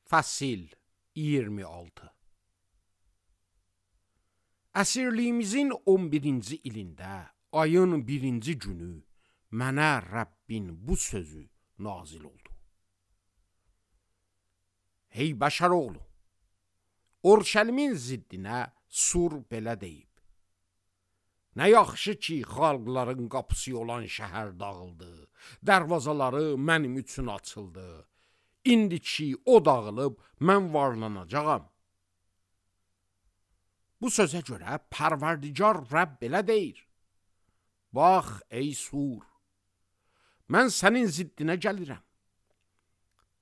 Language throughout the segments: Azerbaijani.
Fəsil 26. Əsirliyimizin 11-ci ilində, ayın 1-ci günü mənə Rəbbin bu sözü nazil oldu. Hey bəşər oğlu, Urşəlimin ziddinə sur belə deyib. Nə yaxşı ki, xalqların qapısı olan şəhər dağıldı, dərvazaları mənim üçün açıldı. İndi ki, o dağılıb, mən varlanacağam. Bu sözə görə Pərverdigar Rəbb belə deyir. Bax, ey sur, mən sənin ziddinə gəlirəm.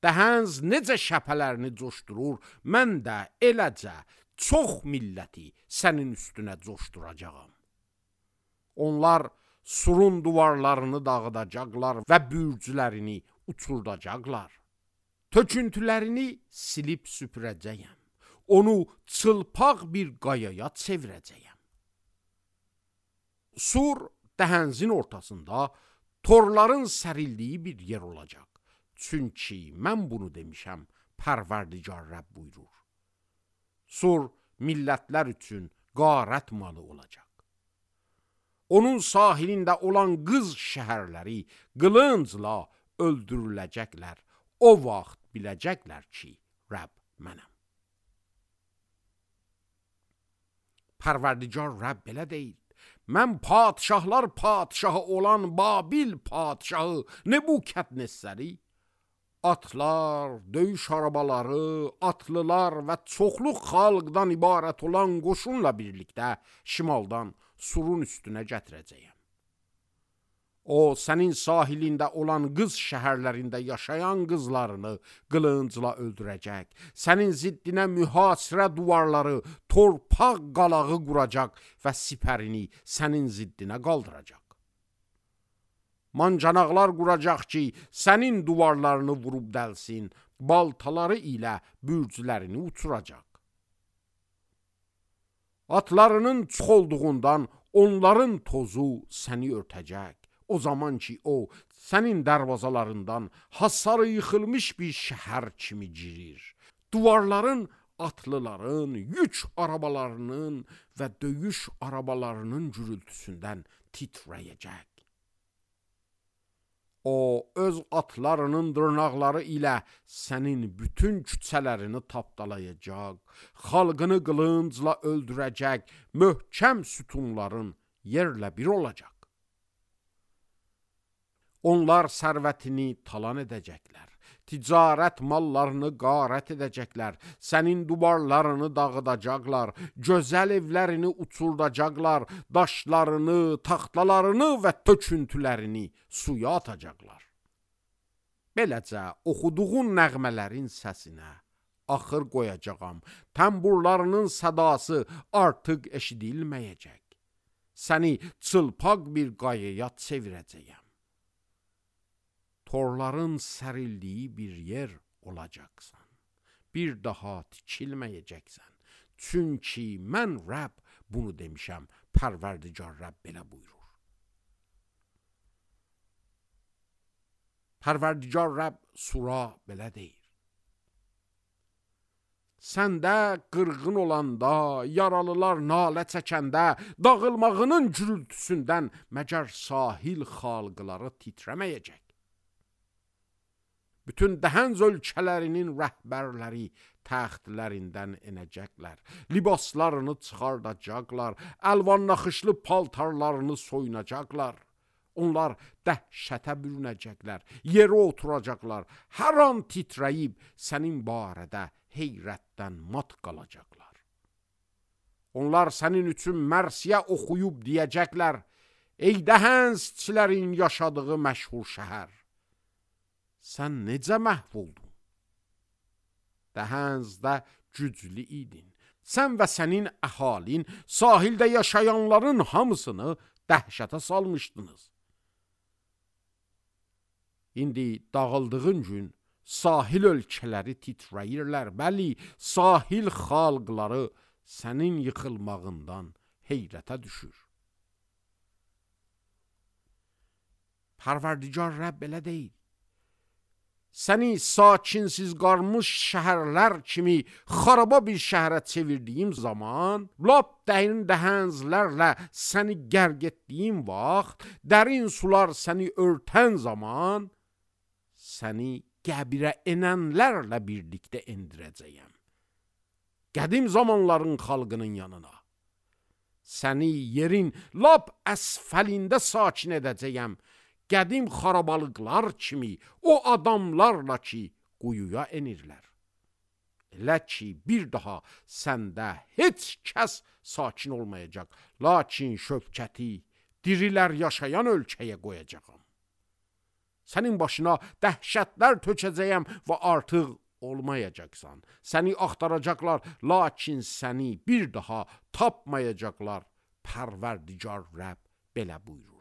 Dəhəns necə şəpələrini coşdurur, mən də eləcə çox milləti sənin üstünə coşduracağam. Onlar surun duvarlarını dağıdacaqlar və bürcülərini uçurdacaqlar. Töküntülərini silib süpürəcəyəm. Onu çılpaq bir qayaya çevirəcəyəm. Sur dəhənzin ortasında torların sərildiyi bir yer olacaq. Çünki mən bunu demişəm, Pərverdigar Rəbb buyurur. Sur millətlər üçün qarət malı olacaq. Onun sahilində olan qız şəhərləri qılıncla öldürüləcəklər. O vaxt biləcəklər ki, Rəbb mənəm. Pərverdigar Rəbb belə deyir. Mən padişahlar padişahı olan Babil padişahı Nebukadnezari, atlar, döyüş arabaları, atlılar və çoxlu xalqdan ibarət olan qoşunla birlikdə şimaldan surun üstünə gətirəcəyəm. O, sənin sahilində olan qız şəhərlərində yaşayan qızlarını qılıncla öldürəcək. Sənin ziddinə mühasirə duvarları, torpaq qalağı quracaq və sipərini sənin ziddinə qaldıracaq. Mancanaqlar quracaq ki, sənin duvarlarını vurub dəlsin, baltaları ilə bürcülərini uçuracaq. Atlarının çox olduğundan onların tozu səni örtəcək. O zaman ki, o, sənin dərvazalarından hasarı yıxılmış bir şəhər kimi girir. Duvarların, atlıların, yük arabalarının və döyüş arabalarının gürültüsündən titrəyəcək. O, öz atlarının dırnaqları ilə sənin bütün küçələrini tapdalayacaq, xalqını qılıncla öldürəcək, möhkəm sütunların yerlə bir olacaq. Onlar sərvətini talan edəcəklər, ticarət mallarını qarət edəcəklər, sənin duvarlarını dağıdacaqlar, gözəl evlərini uçurdacaqlar, daşlarını, taxtalarını və töküntülərini suya atacaqlar. Beləcə, oxuduğun nəğmələrin səsinə axır qoyacağam, təmburlarının sədası artıq eşidilməyəcək. Səni çılpaq bir qayaya çevirəcəyəm. Torların sərildiyi bir yer olacaqsan. Bir daha tikilməyəcəksən. Çünki mən Rəbb bunu demişəm, Pərverdigar Rəbb belə buyurur. Pərverdigar Rəbb sura belə deyir. Səndə qırğın olanda, yaralılar nalə çəkəndə, dağılmağının gürültüsündən məgər sahil xalqları titrəməyəcək. Bütün dəhənz ölkələrinin rəhbərləri təxtlərindən enəcəklər, libaslarını çıxardacaqlar, əlvan naxışlı paltarlarını soyunacaqlar. Onlar dəhşətə bürünəcəklər, yerə oturacaqlar, hər an titrəyib sənin barədə heyrətdən mat qalacaqlar. Onlar sənin üçün mərsiyə oxuyub deyəcəklər, ey dəhənzçilərin yaşadığı məşhur şəhər. Sən necə məhv oldun? Dəhənzdə güclü idin. Sən və sənin əhalin sahildə yaşayanların hamısını dəhşətə salmışdınız. İndi dağıldığın gün sahil ölkələri titrəyirlər. Bəli, sahil xalqları sənin yıxılmağından heyrətə düşür. Pərverdigar Rəbb belə deyir. səni sakinsiz qalmış şəhərlər kimi xaraba bir şəhərə çevirdiyim zaman, lap dərin dəhənclərlə səni qərq etdiyim vaxt, dərin sular səni örtən zaman, səni qəbirə enənlərlə birlikdə endirəcəyəm. Qədim zamanların xalqının yanına. Səni yerin lap əsfəlində sakin edəcəyəm. Qədim xarabalıqlar kimi, o adamlarla ki, quyuya enirlər. Elə ki, bir daha səndə heç kəs sakin olmayacaq, lakin şövkəti dirilər yaşayan ölkəyə qoyacağam. Sənin başına dəhşətlər tökəcəyəm və artıq olmayacaqsan. Səni axtaracaqlar, lakin səni bir daha tapmayacaqlar. Pərverdigar Rəbb belə buyurur.